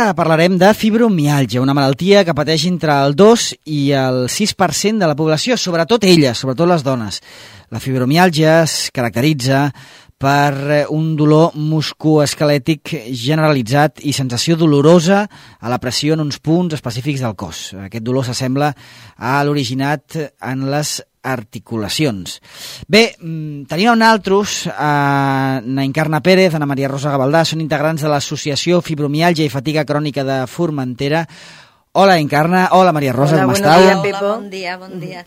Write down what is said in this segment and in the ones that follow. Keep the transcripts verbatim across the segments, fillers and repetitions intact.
Ara parlarem de fibromiàlgia, una malaltia que pateix entre el dos i el sis per cent de la població, sobretot elles, sobretot les dones. La fibromiàlgia es caracteritza per un dolor musculoesquelètic generalitzat i sensació dolorosa a la pressió en uns punts específics del cos. Aquest dolor s'assembla a l'originat en les articulacions. Bé, tenim a nosaltres a na Encarna Pérez, Ana Maria Rosa Gavaldà, són integrants de l'associació Fibromiàlgia i Fatiga Crònica de Formentera. Hola, Encarna. Hola, Maria Rosa, Hola, com esteu? estàu? Hola, bon dia, bon dia.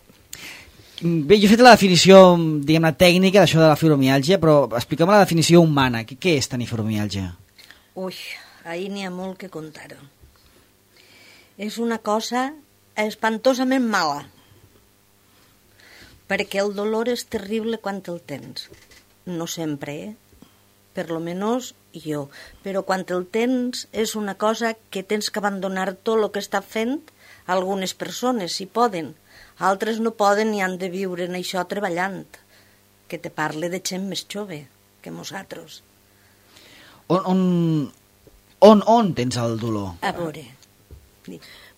Bé, jo he fet la definició, diguem-ne, tècnica d'això de la fibromiàlgia, però expliquem la definició humana. Què, què és tenir fibromiàlgia? Ui, ahir n'hi ha molt que contar-ho. És una cosa espantosament mala, perquè el dolor és terrible quan el tens. No sempre, eh? Per lo menos jo. Però quan el tens és una cosa que tens que abandonar tot el que està fent algunes persones, si poden. Altres no poden i han de viure en això treballant. Que te parle de gent més jove que nosaltres. On, on, on, on tens el dolor? A veure.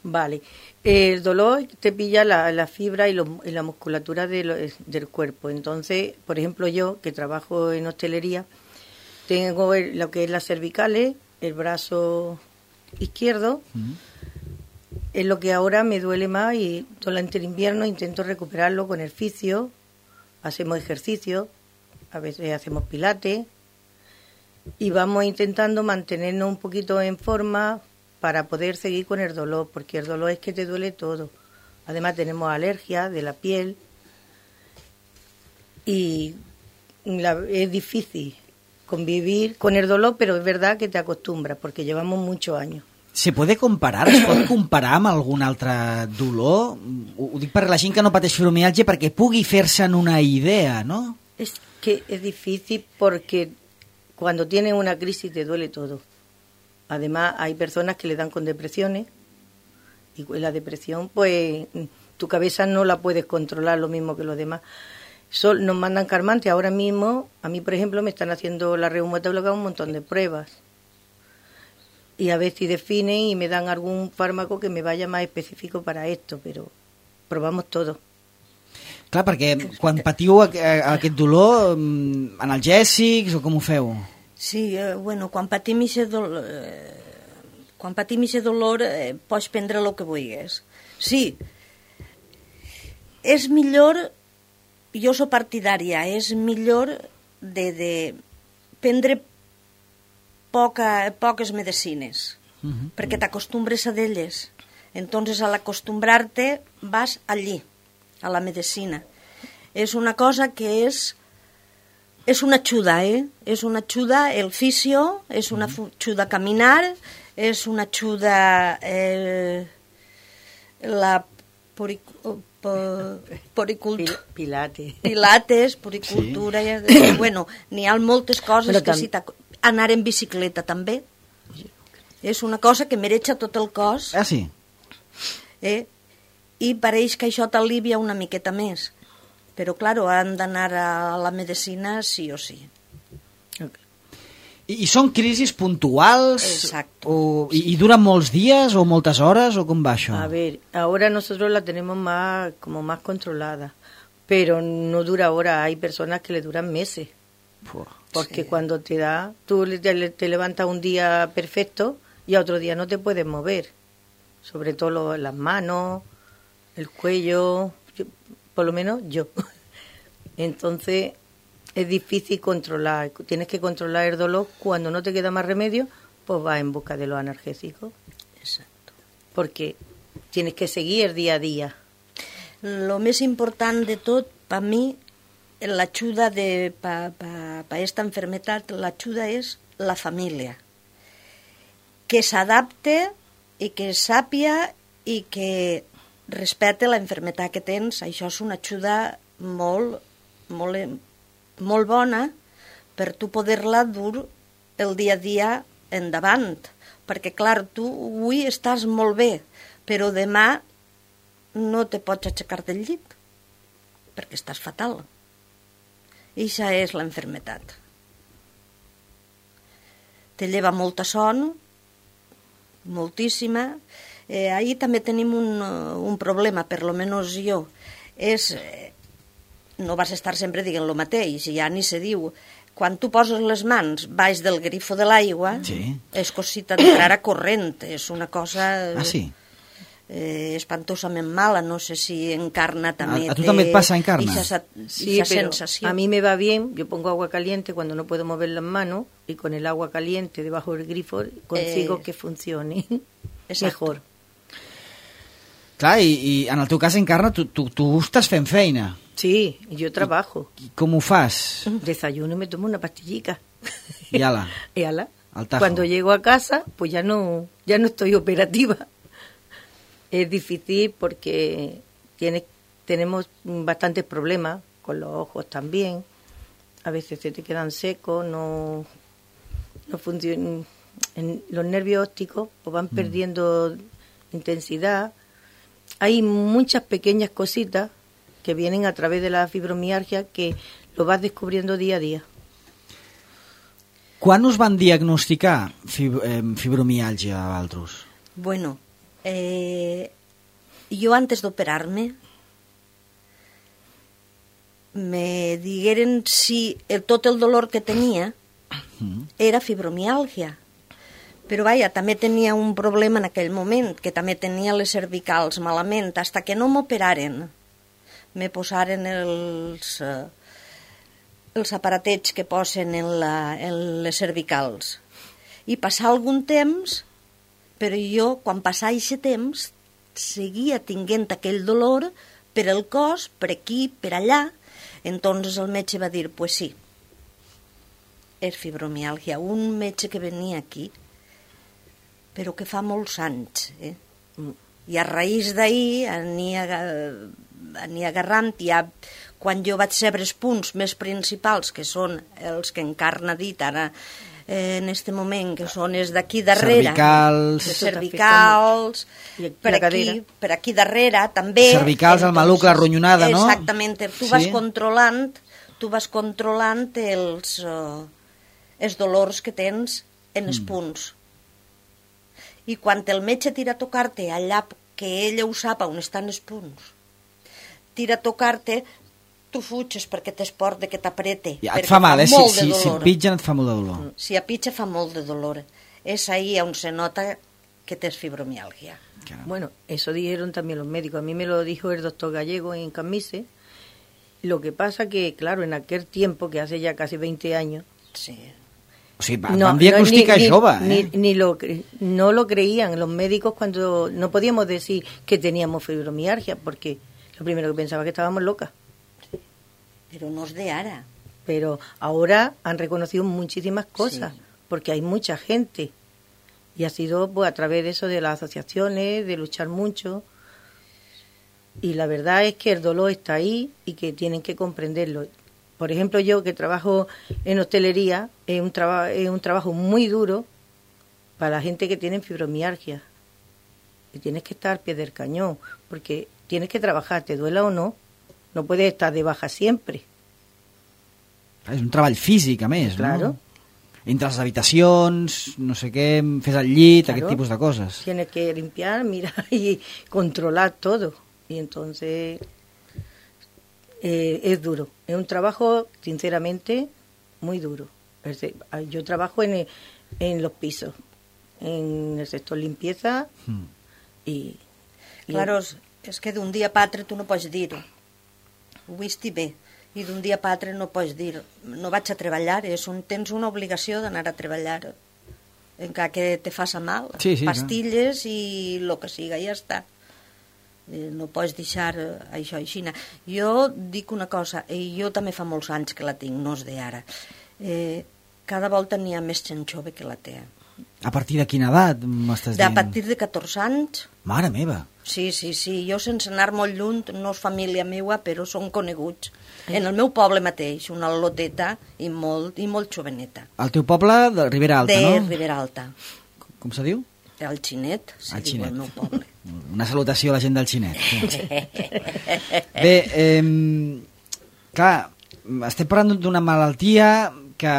Vale. El dolor te pilla la, la fibra y, lo, y la musculatura de lo, del cuerpo. Entonces, por ejemplo, yo, que trabajo en hostelería, tengo el, lo que es las cervicales, el brazo izquierdo, uh-huh. Es lo que ahora me duele más y durante el invierno intento recuperarlo con el fisio, hacemos ejercicio, a veces hacemos pilates y vamos intentando mantenernos un poquito en forma para poder seguir con el dolor, porque el dolor es que te duele todo. Además tenemos alergia de la piel y la, es difícil convivir con el dolor, pero es verdad que te acostumbras, porque llevamos muchos años. Se puede comparar? Es pot comparar amb algun altre dolor? Ho, ho dic per la gent que no pateix fibromiàlgia perquè pugui fer-se'n una idea, ¿no? Es que es difícil porque cuando tienes una crisis te duele todo. Además, hay personas que le dan con depresiones y la depresión, pues, tu cabeza no la puedes controlar lo mismo que los demás. Sol, nos mandan calmantes. Ahora mismo, a mí, por ejemplo, me están haciendo la reumatóloga un montón de pruebas. Y a ver si definen y me dan algún fármaco que me vaya más específico para esto, però provamos todo. Clar, perquè quan patiu aquest dolor, analgèsics o com ho feu? Sí, eh, bueno, quan patim aquest dolor, eh, quan patim aquest dolor eh, pots prendre el que vulguis. Sí, és millor, jo soc partidària, és millor de, de prendre poca, poques medicines, uh-huh. perquè t'acostumbres a d'elles. Entonces, al acostumbrar-te, vas allí, a la medicina. És una cosa que és, és una ajuda, eh? És una ajuda, el fisio, és una ajuda a caminar, és una ajuda eh, la poric, poricultura, Pilates, pilates, poricultura, sí. eh, bueno, n'hi ha moltes coses Però que tam- si t'ac- anar en bicicleta també és una cosa que mereja tot el cos, Ah, sí? eh? I pareix que això t'alivia una miqueta més, però clar, han d'anar a la medicina sí o sí. I, i són crisis puntuals? Exacto. O, i, I duren molts dies o moltes hores o com va això? A ver, ahora nosotros la tenemos más, como más controlada, pero no dura horas, hay personas que le duran meses. Puh. Porque Sí. cuando te da, tú te, te levantas un día perfecto y a otro día no te puedes mover. Sobre todo lo- las manos, el cuello, yo- por lo menos yo. Entonces es difícil controlar. Tienes que controlar el dolor. Cuando no te queda más remedio, pues vas en busca de los analgésicos. Exacto. Porque tienes que seguir día a día. Lo més important de tot, per mi, l'ajuda de pa, pa, pa esta enfermedad, l'ajuda és la família. Que s'adapte i que sàpia i que respecte la enfermedad que tens. Això és una ajuda molt, molt, molt bona per tu poder-la dur el dia a dia endavant. Perquè, clar, tu avui estàs molt bé, però demà no te pots aixecar del llit perquè estàs fatal. I això és la enfermedad. Te lleva molta son, moltíssima. Eh, ahí també tenim un, un problema, per lo menos jo, és, eh, no vas estar sempre dient el mateix, ja ni se diu, quan tu poses les mans baix del grifo de l'aigua, sí. és com si t'entrara corrent, és una cosa ah, sí? eh, espantosament mala, no sé si Encarna també ¿A, a tu també et pasa, Encarna? Esa, sí, esa pero sensación. A mí me va bien, yo pongo agua caliente cuando no puedo mover las manos y con el agua caliente debajo del grifo consigo eh, que funcione mejor. Clar, i, i en el teu cas, Encarna, tu, tu, tu estàs fent feina. Sí, yo trabajo. I, i com ho fas? Desayuno y me tomo una pastillica. Y ala. Y ala. Al tajo. Cuando llego a casa, pues ya no, ya no estoy operativa. Es difícil porque tiene, tenemos bastantes problemas con los ojos también. A veces se te quedan secos, no, no funcionan. En los nervios ópticos pues van perdiendo mm. intensidad. Hay muchas pequeñas cositas que vienen a través de la fibromialgia que lo vas descubriendo día a día. Quan us van diagnosticar fib eh, fibromialgia a vosaltres? Bueno, eh, jo antes d'operar-me me digueren si el, tot el dolor que tenia era fibromialgia. Però vaja, també tenia un problema en aquell moment, que també tenia les cervicals malament, fins que no m'operaren. Me posaren els, eh, els aparatets que posen en, la, en les cervicals. I passar algun temps, però jo, quan passava aquest temps, seguia tinguent aquell dolor per el cos, per aquí, per allà. Entonces el metge va dir, pues sí, és fibromialgia. Un metge que venia aquí, però que fa molts anys, eh? I a raïs d'ahir ania, ania agarrant, ja, quan jo vaig saber els punts més principals, que són els que Encarna ha dit ara, eh, en aquest moment, que són els d'aquí darrere, cervicals, cervicals per aquí, per aquí darrere, també... Cervicals, el maluc, la ronyonada, no? Exactament, tu vas sí. controlant, tu vas controlant els, uh, els dolors que tens en els mm. punts. I quan el metge tira a tocar-te allà que ella ho sap on estan els punts, tira a tocar-te, tu fuges perquè t'esport de que t'aprete. Ja, et fa mal, eh? Si, si, si et pitgen et fa molt de dolor. Si et pitja fa molt de dolor. És ahí on se nota que tens fibromialgia. Claro. Bueno, eso dijeron también los médicos. A mí me lo dijo el doctor Gallego en Camise. Lo que pasa que, claro, en aquel tiempo, que hace ya casi veinte años... Sí. O sigui, van no, diagnosticar no, ni, jove, ni, eh? Ni, ni lo, no lo creían los médicos cuando no podíamos decir que teníamos fibromialgia, porque lo primero que pensaba que estábamos locas. Pero no es de ahora. Pero ahora han reconocido muchísimas cosas, sí. Porque hay mucha gente. Y ha sido pues, a través de eso, de las asociaciones, de luchar mucho. Y la verdad es que el dolor está ahí y que tienen que comprenderlo. Por ejemplo, yo que trabajo en hostelería, es un, traba, es un trabajo muy duro para la gente que tiene fibromialgia. Y tienes que estar al pie del cañón, porque tienes que trabajar, te duela o no, no puedes estar de baja siempre. És un treball físic, a més, claro. No? Entre les habitacions, no sé què, fes el llit, claro. Aquest tipus de coses. Tienes que limpiar, mirar y controlar todo. Y entonces... Eh, es duro, es un trabajo sinceramente muy duro. Yo trabajo en, en los pisos, en el sector limpieza mm. y, y... Claro, és que d'un dia per altre tu no pots dir ho vist bé, i d'un dia per altre no pots dir no vaig a treballar, és un, tens una obligació d'anar a treballar encara que te faça mal, sí, sí, pastilles no. I el que siga, ja està. No pots deixar això així. Jo dic una cosa, i jo també fa molts anys que la tinc, no és d'ara. Eh, cada volta n'hi ha més gent jove que la té. A partir de quina edat m'estàs dient? A partir de catorze anys. Mare meva! Sí, sí, sí. Jo sense anar molt lluny, no és família meua, però són coneguts. En el meu poble mateix, una loteta i molt, i molt joveneta. El teu poble de Ribera Alta, de no? De Ribera Alta. Com se diu? El Xinet, se el diu Xinet. el meu poble. Una salutació a la gent del Xinet. Bé, eh, clar, estem parlant d'una malaltia que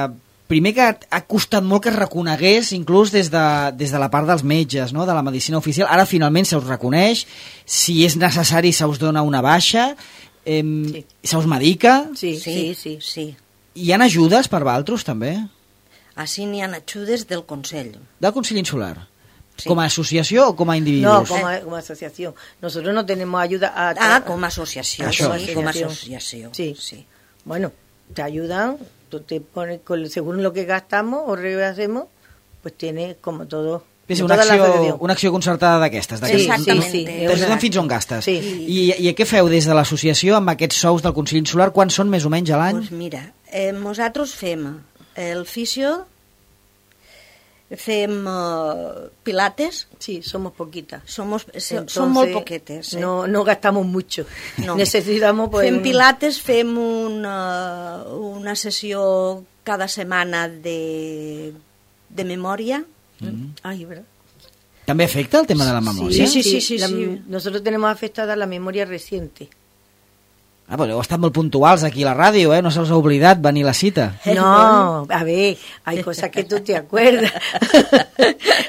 primer que ha costat molt que es reconegués, inclús des de, des de la part dels metges, no? De la medicina oficial. Ara finalment se us reconeix, si és necessari se us dona una baixa, eh, sí. se us medica. Sí, sí, sí, sí. sí. Hi ha ajudes per vosaltres, també? Així n'hi ha ajudes del Consell. Del Consell Insular? Sí. ¿Como asociación o como individuos? No, como, como asociación. Nosotros no tenemos ayuda a... Ah, como asociación. Això. Sí, como asociación. Sí. sí. Bueno, te ayudan, tú te pones, con, según lo que gastamos o hacemos, pues tienes como todo... És una acció, una acció concertada d'aquestes. Sí, exactament. Sí, sí. T'ajuden fins on gastes. Sí. I, I què feu des de l'associació amb aquests sous del Consell Insular? Quants són més o menys a l'any? Pues mira, eh, nosaltres fem el fisio, fem uh, pilates. Sí, somos poquitas. Somos, Entonces, son molt poquetes. Eh? No, no gastamos mucho. No. Necesitamos... Pues, fem un... pilates, fem una, una sessió cada setmana de, de memòria. Mm. Ay, ¿verdad? ¿També afecta el tema de la memòria? Sí, sí, sí. sí, la, sí. Nosotros tenemos afectada la memoria reciente. Ah, però heu estat molt puntuals aquí a la ràdio, eh? No se us ha oblidat venir a la cita. No, a ver, hay cosas que tú te acuerdas.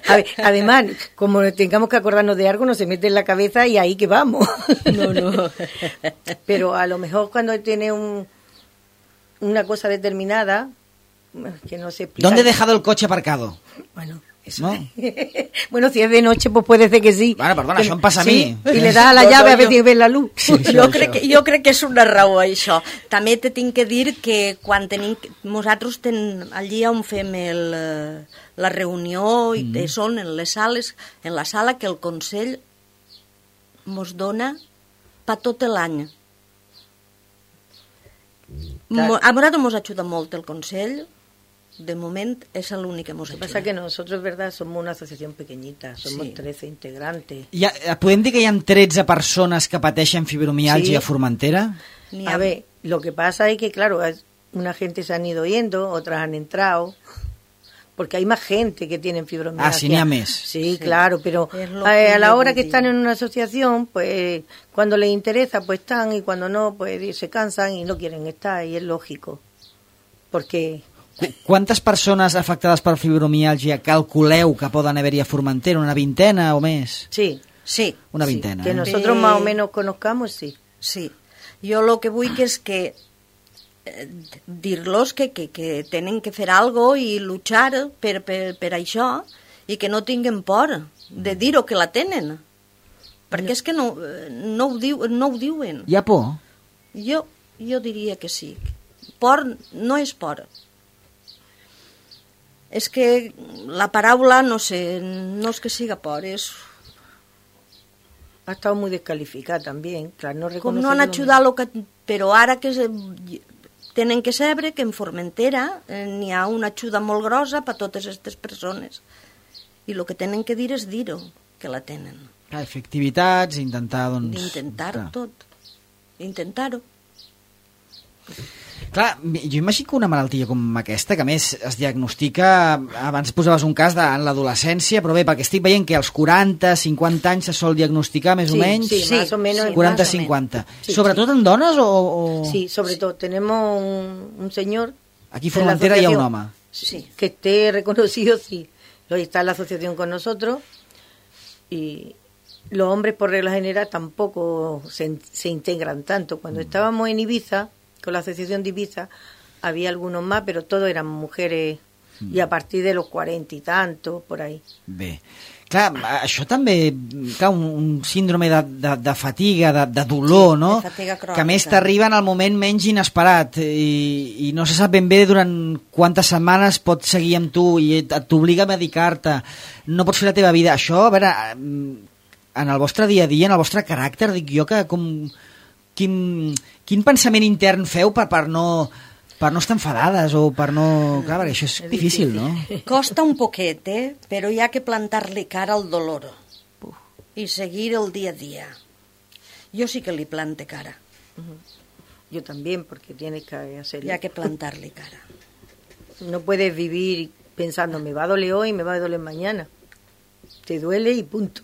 A ver, además, como tengamos que acordarnos de algo, nos se mete en la cabeza y ahí que vamos. No, no. Pero a lo mejor cuando tiene un, una cosa determinada, que no se explica. ¿Dónde he dejado el coche aparcado? Bueno, eso. No? Bueno, si es de noche, pues puede ser que sí. Bueno, perdona, això em passa a sí, mi. I le das a la No, llave no, a ver jo- si ves la luz. Sí, això, jo, això. crec que, jo crec que és una raó, això. També te tinc que dir que quan tenim... Nosaltres ten, allí on fem el, eh, la reunió, i mm. són en les sales, en la sala que el Consell mos dona per tot l'any. Mo- A nosaltres mos ajuda molt el Consell. De moment és l'únic que mos Lo que ajuda. pasa es que nosotros, verdad, somos una asociación pequeñita, somos Sí. trece integrantes. Hi ha, podem dir que hi ha tretze persones que pateixen fibromialgia Sí. a Formentera? N'hi A ver, lo que pasa es que, claro, es- una gente se han ido yendo, otras han entrado, porque hay más gente que tienen fibromialgia. Ah, sí, n'hi ha més. Sí, Sí. claro, pero Es lo a, que a la yo hora que digo. están en una asociación, pues cuando les interesa, pues están, y cuando no, pues se cansan y no quieren estar, y es lógico. Porque... Qu- Quantes persones afectades per fibromialgia calculeu que poden haver-hi a Formentera? Una vintena o més? Sí, Sí, Una sí, vintena. que eh? nosotros Eh, más o menos conozcamos, sí. sí. Jo el que vull que és que eh, dir-los que, que, que tenen que fer algo i luchar per, per, per això i que no tinguin por de dir-ho que la tenen. Perquè és que no, eh, no, ho, diu, no ho diuen. Hi ha por? Jo, jo diria que sí. Por no és por. És que la paraula, no sé, no és que siga por, és... Ha estado muy descalificada también, claro, no Com reconoce no han que lo- ajudat lo que... Però ara que se... tenen que saber que en Formentera eh, n'hi ha una ajuda molt grossa per a totes aquestes persones. I el que tenen que dir és dir-ho, que la tenen. Clar, fer activitats, intentar, doncs... D'intentar-ho clar. tot. Intentar-ho. Clar, jo imagino que una malaltia com aquesta, que a més es diagnostica, abans posaves un cas de, en l'adolescència, però bé, perquè estic veient que als quaranta, cinquanta anys se sol diagnosticar més Sí, o menys, sí, más o menos. quaranta más o cinquanta. Sí, Sobretot en dones o...? o... Sí, sobre todo tenemos un, un señor Aquí a de la Formentera hi ha un asociación, home. Sí. que esté reconocido, sí. Hoy está en la asociación con nosotros y los hombres por regla general tampoco se, se integran tanto. Cuando estábamos en Ibiza, con la asociación de Ibiza, había algunos más, pero todos eran mujeres y a partir de los cuarenta y tantos, por ahí. Bé. Clar, això també, clar, un, un síndrome de, de, de fatiga, de, de dolor, Sí, no? de fatiga crònica. Que a més t'arriba en el moment menys inesperat i, i no se sap ben bé durant quantes setmanes pot seguir amb tu i et- t'obliga a medicar-te, no pots fer la teva vida. Això, a veure, en el vostre dia a dia, en el vostre caràcter, dic jo que com... Quin, quin pensament intern feu per, per no... per no estar enfadades o per no... Clar, perquè això és És difícil, difícil. no? Costa un poquet, eh? Però hi ha que plantar-li cara al dolor i seguir el dia a dia. Jo sí que li plante cara. Yo también, porque tienes que hacerlo. Hi ha que plantar-li cara. No puedes vivir pensando, me va a doler hoy, me va a doler mañana. Te duele y punto.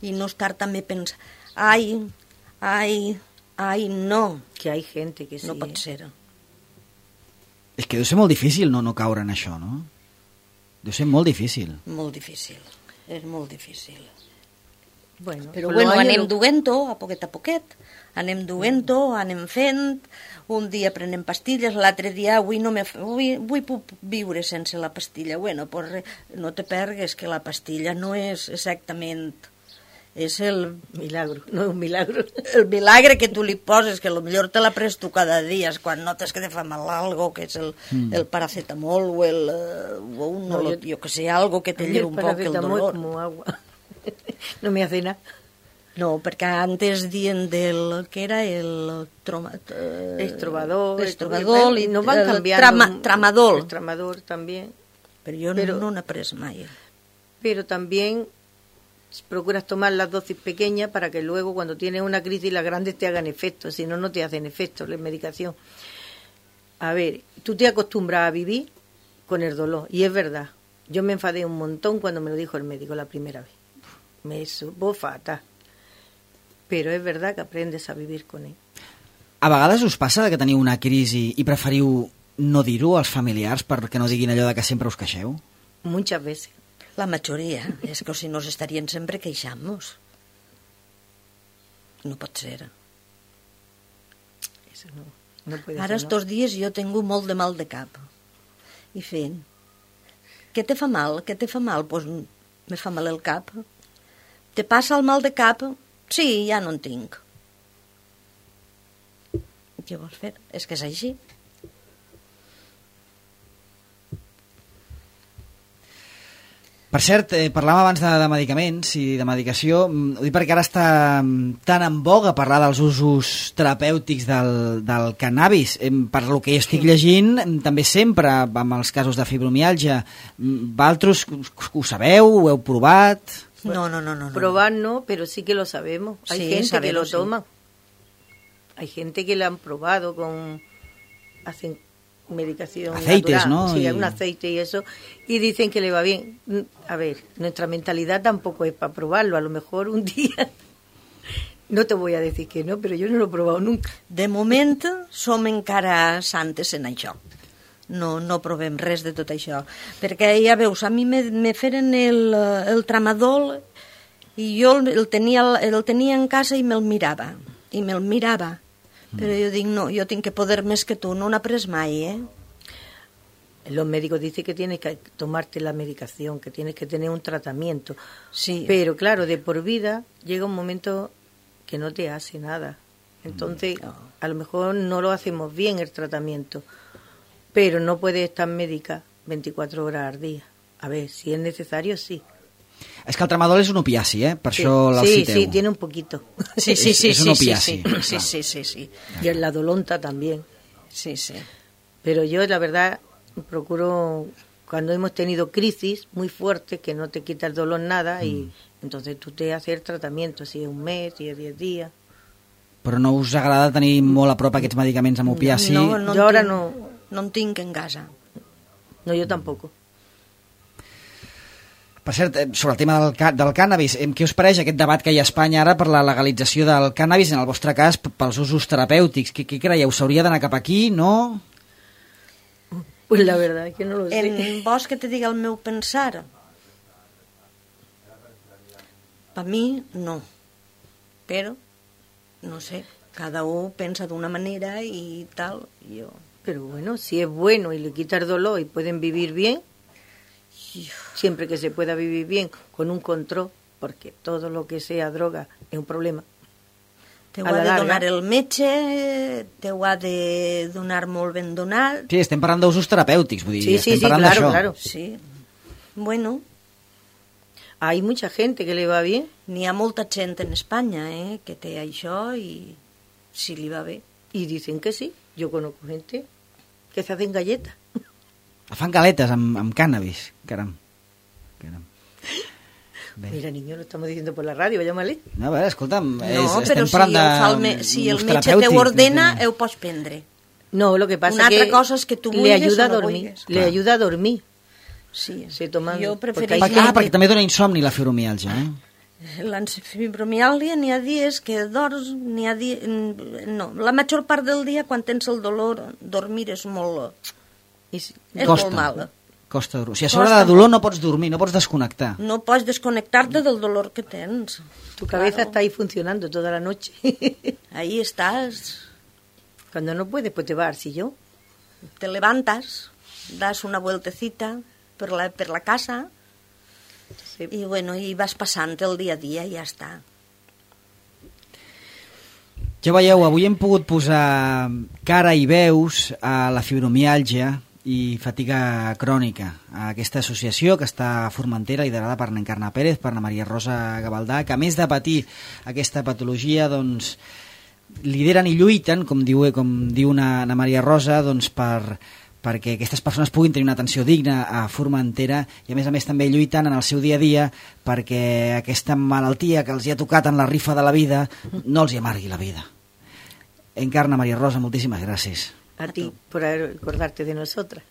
I no estar també pensant, ai, ai, ai, no, Que hay gente que sí. no pot ¿eh? ser. És que deu ser molt difícil no, no caure en això, no? Deu ser molt difícil. Molt difícil, és molt difícil. Bueno, Però con bueno, los años anem lo- duent-ho a poquet a poquet, anem duent-ho, anem fent, un dia prenem pastilles, l'altre dia avui no me, avui, avui puc viure sense la pastilla. Bueno, pues re, no te pergues que la pastilla no és exactament, és el, Milagro, no es un milagro. el milagre que tu li poses, que millor te la pres tu cada dia, és quan notes que te fa mal algo, que és el, mm. el paracetamol o el, eh, o un, No, no, yo- jo que sé, algo que te A mí lleve el un poc el paracetamol es dolor. como agua. No me hace nada. No, perquè antes dient del que era el troma, eh, Estrobador, estrobadol i nos van el cambiando. trama, tramadol, El tramador también. però jo Pero- no n'he pres mai. Pero también procuras tomar las dosis pequeñas para que luego cuando tienes una crisis las grandes te hagan efecto, si no, no te hacen efecto la medicación. A ver, tú te acostumbras a vivir con el dolor, y es verdad. Yo me enfadé un montón cuando me lo dijo el médico la primera vez. Me supo fatal. Però és verdad que aprendes a vivir con ell. A vegades us passa que teniu una crisi i preferiu no dir-ho als familiars perquè no diguin allò de que sempre us queixeu? Muchas veces. La majoria, és que si no estarien sempre queixant-nos. No pot ser. Eso no, no puede Ara ser, ¿no? estos dies jo tengo molt de mal de cap. I fent, què te fa mal? Què te fa mal? Doncs pues, me fa mal el cap. Te passa el mal de cap? Sí, ja no en tinc. Què vols fer? És que és així. Per cert, eh, parlàvem abans de, de medicaments i de medicació. Mm, Ho dic perquè ara està mm, tan en boga parlar dels usos terapèutics del, del cannabis. Em, per lo que estic llegint, em, també sempre amb els casos de fibromiàlgia. Mm, Vosaltres ho sabeu? Ho heu provat? No, no, no, no. no. Probar no, pero sí que lo sabemos. Hay Sí, gente sabemos, que lo sí. toma. Hay gente que lo han probado con... Hacen medicación Aceites, natural. ¿no? Sí, Y- un aceite y eso. Y dicen que le va bien. Mm, A ver, nuestra mentalidad tampoco es para probarlo. A lo mejor un día... No te voy a decir que no, pero yo no lo he probado nunca. De moment som encara santes en això. No, no provem res de tot això. Perquè ja veus, a mi me, me feren el, el tramadol i jo el tenia, el tenia en casa i me'l mirava. I me'l mirava. Però jo dic, no, jo tinc que poder més que tu. No n'he pres mai, eh? Los médicos dicen que tienes que tomarte la medicación, que tienes que tener un tratamiento. Sí. Pero claro, de por vida llega un momento que no te hace nada. Entonces, No. a lo mejor no lo hacemos bien el tratamiento, pero no puedes estar médica veinticuatro horas al día. A ver, si es necesario, sí. És que el tramadol és un opiaci, eh? Per Sí, això el sí, citeu. sí, tiene un poquito. Sí, sí, sí, És un sí, sí, opiaci, sí, clar. sí, sí, sí, sí, Y en la dolonta también. sí, sí. Pero yo, la verdad, procuro, cuando hemos tenido crisis muy fuertes, que no te quita el dolor nada, y entonces tú te haces el tratamiento, si es un mes, si es diez días. Però no us agrada tenir molt a prop aquests medicaments amb opiaci? No, no, Jo en ara tinc, no- no en tinc en casa. No, yo tampoco. Per cert, eh, sobre el tema del, ca del cànnabis, eh, què us pareix aquest debat que hi ha a Espanya ara per la legalització del cànnabis, en el vostre cas, p- pels usos terapèutics? Què, què creieu? S'hauria d'anar cap aquí, no? Pues la verdad es que no lo sé. En vols que te diga el meu pensar? Per mi, no. Però, no sé, cada un pensa d'una manera i tal. Jo... Pero bueno, si es bueno y le quita el dolor y pueden vivir bien, siempre que se pueda vivir bien, con un control, porque todo lo que sea droga es un problema. T'ho A ha la de larga. donar el metge, t'ho ha de donar molt ben donat. Sí, estem parlant d'usos terapèutics, vull dir, Sí, sí, estem sí, parlant claro, d'això. claro. Sí. Bueno, Hay mucha gente que le va bien. n'hi ha molta gent en Espanya eh, que té això i si li va bé. Y dicen que sí. Yo conozco gente que se hacen galletas. Fan galetes amb, amb cànnabis, caram. caram. Bé. Mira, niño, lo estamos diciendo por la radio, llámale. No, a veure, escolta'm, és, No, estem però si, parlant el, de fa el me si el ús metge terapèutic, t'ho ordena, vull dir. ho pots prendre. No, lo que pasa Una es altra que cosa és que tu le vulguis ayuda a o no dormir. vulguis. Le Clar. ayuda a dormir. Sí. Se toman, Jo porque prefereixo... hay Ah, gente- perquè també dona insomni la fibromiàlgia, eh? La fibromiàlgia n'hi ha dies que dors, n'hi ha dies... No, la major part del dia, quan tens el dolor, dormir és molt, És, és Costa. molt mal. Costa dormir. O sigui, a sobre Costa de dolor no pots dormir, no pots desconnectar. No pots desconectar-te del dolor que tens. tu cabeza Claro. está ahí funcionando toda la noche. Ahí estás, Cuando no puedes, pues te vas al sillón. te levantas, das una vueltecita per la, per la casa Sí. i, bueno, i vas passant el dia a dia i ja està. Ja veieu, avui hem pogut posar cara i veus a la fibromiàlgia i fatiga crònica, a aquesta associació que està a Formentera, liderada per n'Encarna Pérez, per na Maria Rosa Gavaldà, que a més de patir aquesta patologia, doncs, lideren i lluiten, com diu, com diu na, na Maria Rosa, doncs, per, perquè aquestes persones puguin tenir una atenció digna a Formentera i a més a més també lluiten en el seu dia a dia perquè aquesta malaltia que els hi ha tocat en la rifa de la vida no els hi amargui la vida. Encarna, Maria Rosa, moltíssimes gràcies. A ti por acordarte de nosotras.